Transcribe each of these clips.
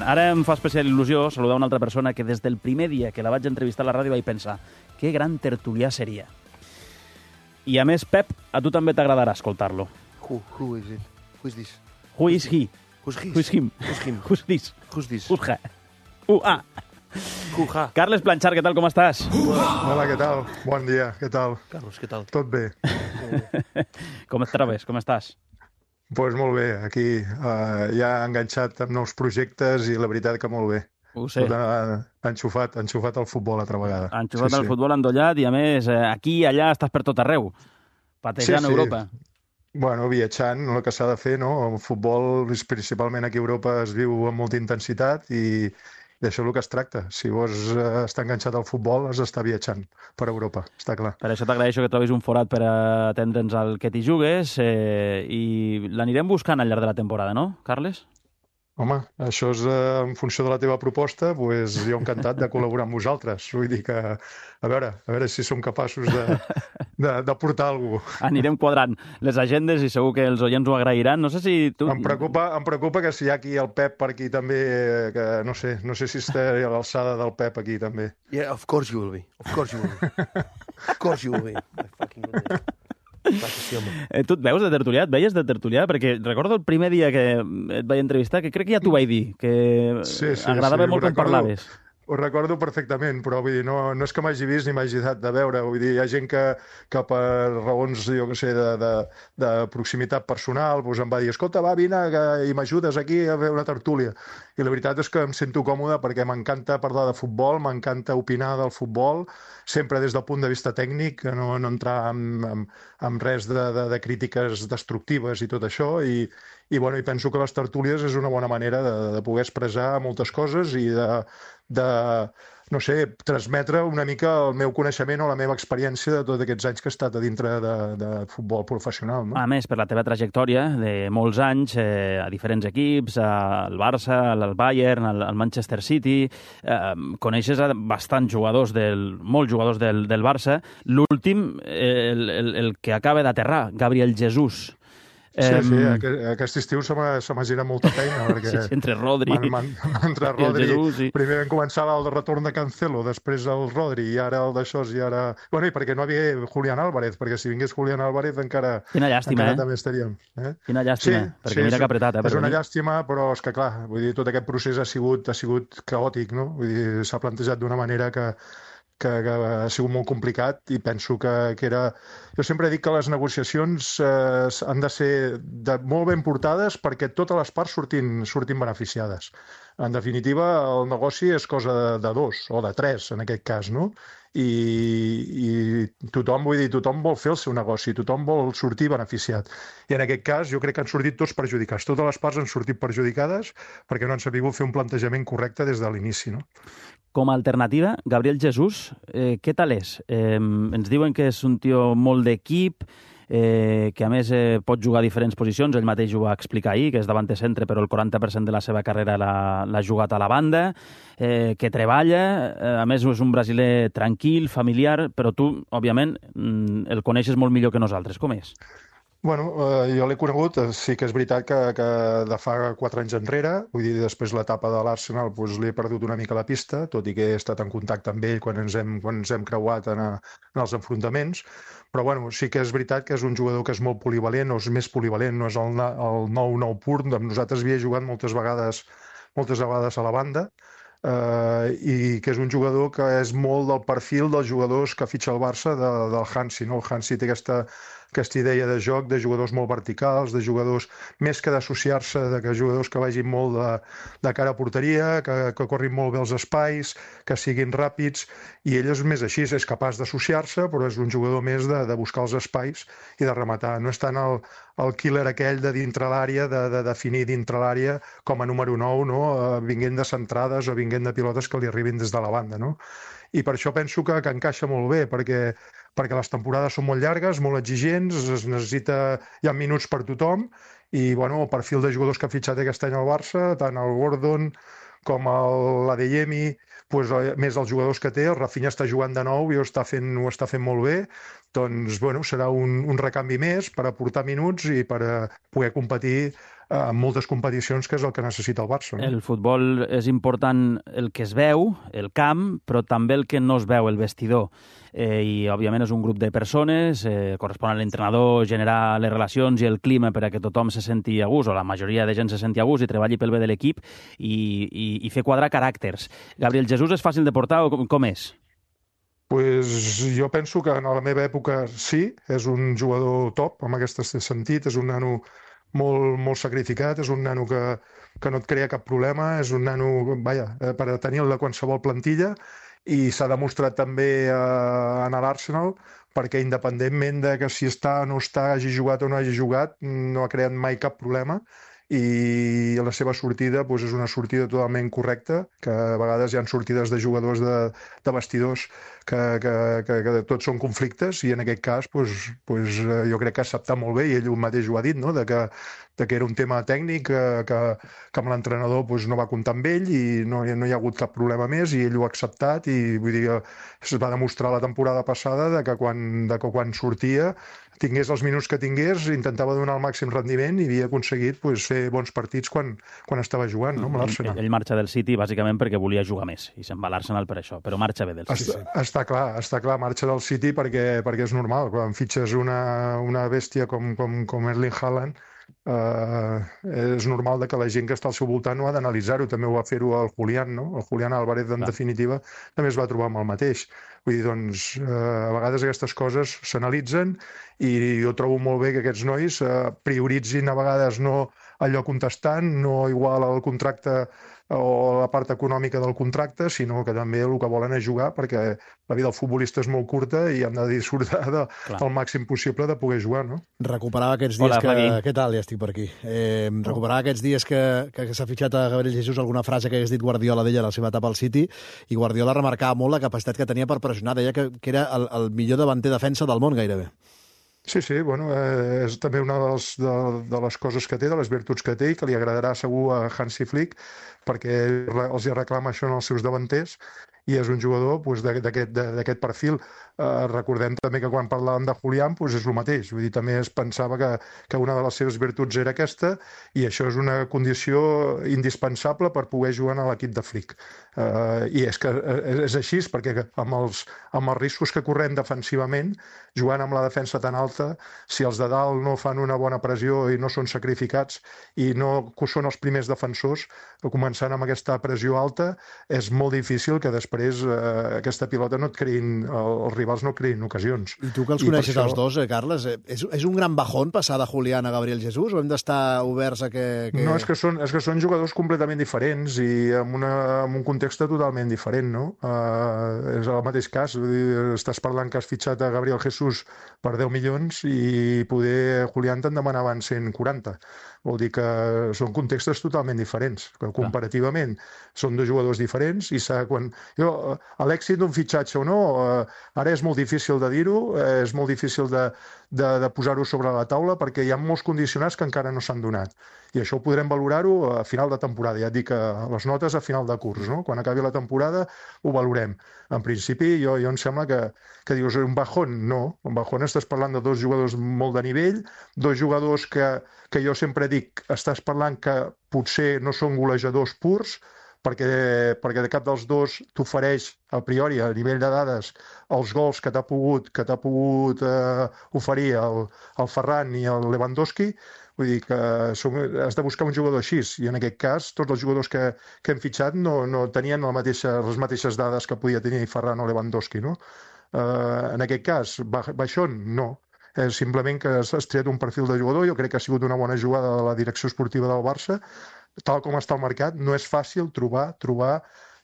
Ara em fa especial il·lusió saludar una altra persona que des del primer dia que la vaig entrevistar a la ràdio vaig pensar que gran tertulià seria. I a més, Pep, a tu també t'agradarà escoltar-lo. Who is it? Who is this? Who is he? Who's his? Who is him? Who's him? Who's this? Who's this? Who's her? Who-ah. Who-ha. Carles Planchar, què tal, com estàs? Hola, què tal? Bon dia, què tal? Carlos, què tal? Tot bé? Com et trobes? Com estàs? Doncs pues molt bé, aquí ja enganxat amb nous projectes i la veritat que molt bé. Ho sé. Tot enxufat al futbol altra vegada. Enxufat al futbol endollat i, a més, aquí i allà estàs per tot arreu, patejant Europa. Bueno, viatjant, el que s'ha de fer, no? El futbol, principalment aquí a Europa, es viu amb molta intensitat i d'això és el que es tracta. Si vols estar enganxat al futbol, has d'estar viatjant per Europa, està clar. Per això t'agraeixo que trobis un forat per atendre'ns al que t'hi jugues i l'anirem buscant al llarg de la temporada, no, Carles? Home, això és en funció de la teva proposta, doncs jo encantat de col·laborar amb vosaltres. Vull dir que, a veure si som capaços de portar alguna cosa. Anirem quadrant les agendes i segur que els oients ho agrairan. No sé si tu... Em preocupa que si hi ha aquí el Pep per aquí també, que no sé si estaré a l'alçada del Pep aquí també. Yeah, of course you will be. Of course you will be. Of course you will be. My fucking goodness. Tu et veus de tertulià? Et veies de tertulià? Perquè recordo el primer dia que et vaig entrevistar, que crec que ja t'ho vaig dir, que agradava molt com parlaves. Ho recordo perfectament, però vull dir, no és que m'hagi vist ni m'hagi dat de veure. Vull dir, hi ha gent que per raons, jo què sé, de proximitat personal, doncs em va dir, escolta, va, vine i m'ajudes aquí a fer una tertúlia. I la veritat és que em sento còmode perquè m'encanta parlar de futbol, m'encanta opinar del futbol, sempre des del punt de vista tècnic, no entrar en res de crítiques destructives i tot això, i penso que les tertúlies és una bona manera de poder expressar moltes coses i no sé, transmetre una mica el meu coneixement o la meva experiència de tots aquests anys que he estat a dintre de futbol professional. No? A més, per la teva trajectòria de molts anys a diferents equips, al Barça, al Bayern, al Manchester City, coneixes bastants jugadors, molts jugadors del Barça. L'últim, el que acaba d'aterrar, Gabriel Jesús. Sí, aquest estiu se m'ha girat molta feina, perquè entre Rodri entre Rodri, primer vam començar el retorn de Cancelo, després el Rodri, i ara el d'això, i ara... Bueno, i perquè no havia Julián Álvarez, perquè si vingués Julián Álvarez encara... Quina llàstima, també estaríem. Quina llàstima, perquè mira que apretat. És una llàstima, però és que clar, vull dir, tot aquest procés ha sigut caòtic, no? Vull dir, s'ha plantejat d'una manera que ha sigut molt complicat i penso que era... Jo sempre dic que les negociacions han de ser molt ben portades perquè totes les parts surtin beneficiades. En definitiva, el negoci és cosa de dos, o de tres, en aquest cas, no? I tothom vol fer el seu negoci, tothom vol sortir beneficiat. I en aquest cas jo crec que han sortit tots perjudicats. Totes les parts han sortit perjudicades perquè no han sabut fer un plantejament correcte des de l'inici, no? Com a alternativa, Gabriel Jesús, què tal és? Ens diuen que és un tio molt d'equip, que a més pot jugar a diferents posicions, ell mateix ho va explicar ahir, que és davant de centre, però el 40% de la seva carrera l'ha jugat a la banda, que treballa, a més és un brasiler tranquil, familiar, però tu, òbviament, el coneixes molt millor que nosaltres. Com és? Bueno, jo l'he conegut, sí que és veritat que de fa 4 anys enrere, vull dir, després l'etapa de l'Arsenal li he perdut una mica la pista, tot i que he estat en contacte amb ell quan ens hem creuat en els enfrontaments, però bueno, sí que és veritat que és un jugador que és molt polivalent, o és més polivalent, no és el 9-9 pur, amb nosaltres havia jugat moltes vegades a la banda, i que és un jugador que és molt del perfil dels jugadors que fitxa el Barça del Hansi, no? El Hansi té aquesta idea de joc, de jugadors molt verticals, de jugadors més que d'associar-se, de jugadors que vagin molt de cara a porteria, que corrin molt bé els espais, que siguin ràpids, i ell és més així, és capaç d'associar-se, però és un jugador més de buscar els espais i de rematar. No és tant el killer aquell de dintre l'àrea, de definir dintre l'àrea com a número 9, no? Vinguent de centrades o vinguent de pilotes que li arribin des de la banda, no? I per això penso que encaixa molt bé, perquè les temporades són molt llargues, molt exigents, hi ha minuts per tothom, i bueno, el perfil de jugadors que ha fitxat aquest any al Barça, tant el Gordon com l'Adeyemi, doncs, més els jugadors que té, el Rafinha està jugant de nou i ho està fent molt bé, doncs bueno, serà un recanvi més per aportar minuts i per poder competir en moltes competicions, que és el que necessita el Barça. No? El futbol és important el que es veu, el camp, però també el que no es veu, el vestidor. I, òbviament, és un grup de persones, correspon a l'entrenador generar les relacions i el clima per a que tothom se senti a gust, o la majoria de gent se senti a gust i treballi pel bé de l'equip i fer quadrar caràcters. Gabriel Jesús és fàcil de portar o com és? Pues jo penso que en la meva època sí, és un jugador top, en aquest sentit, és un nano molt sacrificat, és un nano que no et crea cap problema, és un nano, per a tenir-lo de qualsevol plantilla, i s'ha demostrat també en l'Arsenal, perquè independentment de que si està o no està, hagi jugat o no hagi jugat, no ha creat mai cap problema, i la seva sortida és una sortida totalment correcta, que a vegades hi ha sortides de jugadors de vestidors que tots són conflictes, i en aquest cas jo crec que ha acceptat molt bé, i ell mateix ho ha dit, no? de que era un tema tècnic, que amb l'entrenador no va comptar amb ell i no hi ha hagut cap problema més, i ell ho ha acceptat, i vull dir, es va demostrar la temporada passada que quan sortia, tingués els minuts que tingués, intentava donar el màxim rendiment i havia aconseguit fer bons partits quan estava jugant, no, amb l'Arsenal. Ell marxa del City bàsicament perquè volia jugar més i se'n va a l'Arsenal per això, però marxa bé del City. Està clar, marxa del City perquè és normal. Quan fitxes una bèstia com Erling Haaland, és normal que la gent que està al seu voltant no ha d'analitzar-ho. També ho va fer-ho el Julián, no? El Julián Álvarez, en definitiva, també es va trobar amb el mateix. Vull dir, a vegades aquestes coses s'analitzen, i jo trobo molt bé que aquests nois prioritzin a vegades no allò contestant, no igual al contracte o la part econòmica del contracte, sinó que també el que volen és jugar, perquè la vida del futbolista és molt curta i han de disfrutar del màxim possible de poder jugar, no? Recuperava aquests dies Què tal? Ja estic per aquí. Recuperava aquests dies que s'ha fitxat a Gabriel Jesús alguna frase que hagués dit Guardiola d'ella a la seva etapa al City, i Guardiola remarcava molt la capacitat que tenia per pressionar. Deia que era el millor davanter defensa del món, gairebé. Sí, bueno, és també una de les coses que té, de les virtuts que té, i que li agradarà segur a Hansi Flick, perquè els hi reclama això en els seus davanters, i és un jugador d'aquest perfil. Recordem també que quan parlàvem de Julián és el mateix, vull dir, també es pensava que una de les seves virtuts era aquesta, i això és una condició indispensable per poder jugar a l'equip de Flick. I és que és així, perquè amb els riscos que correm defensivament, jugant amb la defensa tan alta, si els de dalt no fan una bona pressió i no són sacrificats i no són els primers defensors, començant amb aquesta pressió alta, és molt difícil que després aquesta pilota no et creïn, els rivals no creïn ocasions. I tu que els coneixes els dos, Carles, és un gran bajón passar de Julián a Gabriel Jesús, o hem d'estar oberts a que... No, és que són jugadors completament diferents i amb un context totalment diferent, no? És el mateix cas, estàs parlant que has fitxat a Gabriel Jesús per 10 milions i poder Julián te'n demanaven 140. Vol dir que són contextos totalment diferents, que comparativament són dos jugadors diferents, i l'èxit d'un fitxatge o no, ara és molt difícil de dir-ho, és molt difícil de posar-ho sobre la taula, perquè hi ha molts condicionants que encara no s'han donat. I això ho podrem valorar-ho a final de temporada. Ja et dic, les notes a final de curs, no? Quan acabi la temporada ho valorem. En principi, jo em sembla que dius un bajón. No, un bajón estàs parlant de dos jugadors molt de nivell, dos jugadors que jo sempre dic, estàs parlant que potser no són golejadors purs, perquè de cap dels dos t'ofereix a priori, a nivell de dades, els gols que t'ha pogut oferir el Ferran i el Lewandowski. Vull dir que has de buscar un jugador així, i en aquest cas tots els jugadors que hem fitxat no tenien les mateixes dades que podia tenir Ferran o Lewandowski, no? En aquest cas, baixón, no. Simplement que has triat un perfil de jugador. Jo crec que ha sigut una bona jugada de la direcció esportiva del Barça. Tal com està el mercat, no és fàcil trobar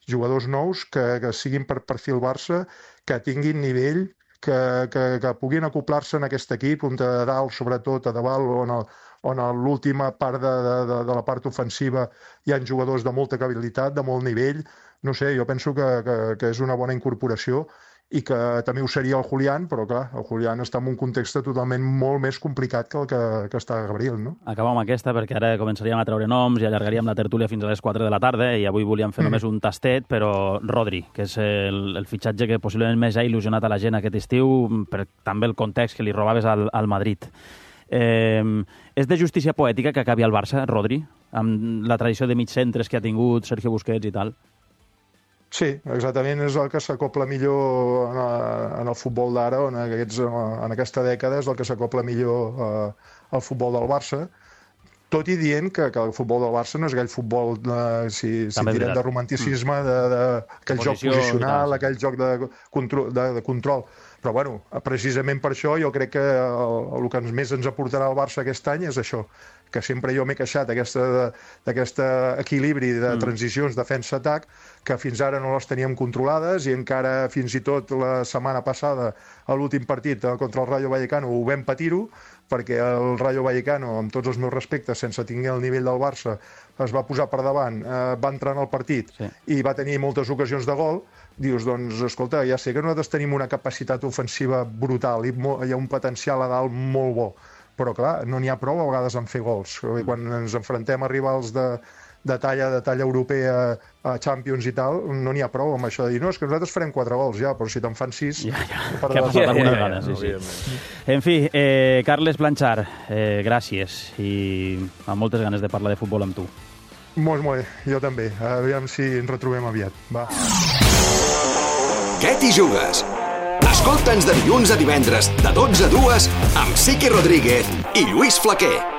jugadors nous que siguin per perfil Barça, que tinguin nivell, que puguin acoplar-se en aquest equip, on de dalt, sobretot a davant, on a l'última part de la part ofensiva hi ha jugadors de molta habilitat, de molt nivell. No sé, jo penso que és una bona incorporació, i que també ho seria el Julián, però clar, el Julián està en un context totalment molt més complicat que el que està Gabriel, no? Acabem amb aquesta, perquè ara començaríem a treure noms i allargaríem la tertúlia fins a les 4 de la tarda, i avui volíem fer només un tastet, però Rodri, que és el fitxatge que possiblement més ha il·lusionat a la gent aquest estiu, per també el context que li robaves al Madrid. És de justícia poètica que acabi al Barça, Rodri, amb la tradició de mig centres que ha tingut Sergio Busquets i tal? Sí, exactament, és el que s'acopla millor en el futbol d'ara, o en aquesta dècada és el que s'acopla millor al futbol del Barça, tot i dient que el futbol del Barça no és aquell futbol, si tirem de romanticisme, aquell joc posicional, aquell joc de control. Però, bueno, precisament per això jo crec que el que més ens aportarà el Barça aquest any és això, que sempre jo m'he queixat d'aquest equilibri de transicions defensa-atac, que fins ara no les teníem controlades i encara fins i tot la setmana passada, a l'últim partit contra el Rayo Vallecano, ho vam patir-ho, perquè el Rayo Vallecano, amb tots els meus respectes, sense tenir el nivell del Barça, es va posar per davant, va entrar en el partit i va tenir moltes ocasions de gol. Dius, doncs, escolta, ja sé que nosaltres tenim una capacitat ofensiva brutal i hi ha un potencial a dalt molt bo, però clar, no n'hi ha prou a vegades en fer gols. Quan ens enfrontem a rivals de talla europea, a Champions i tal, no n'hi ha prou amb això de dir, no, és que nosaltres farem 4 gols ja, però si te'n fan 6... Que ha passat alguna vegada, sí. En fi, Carles Blanchar, gràcies i amb moltes ganes de parlar de futbol amb tu. Molt bé, jo també. Aviam si ens retrobem aviat. Va. Què t'hi jugues? Escolta'ns de dilluns a divendres, de 12 a 2, amb Siqui Rodríguez i Lluís Flaquer.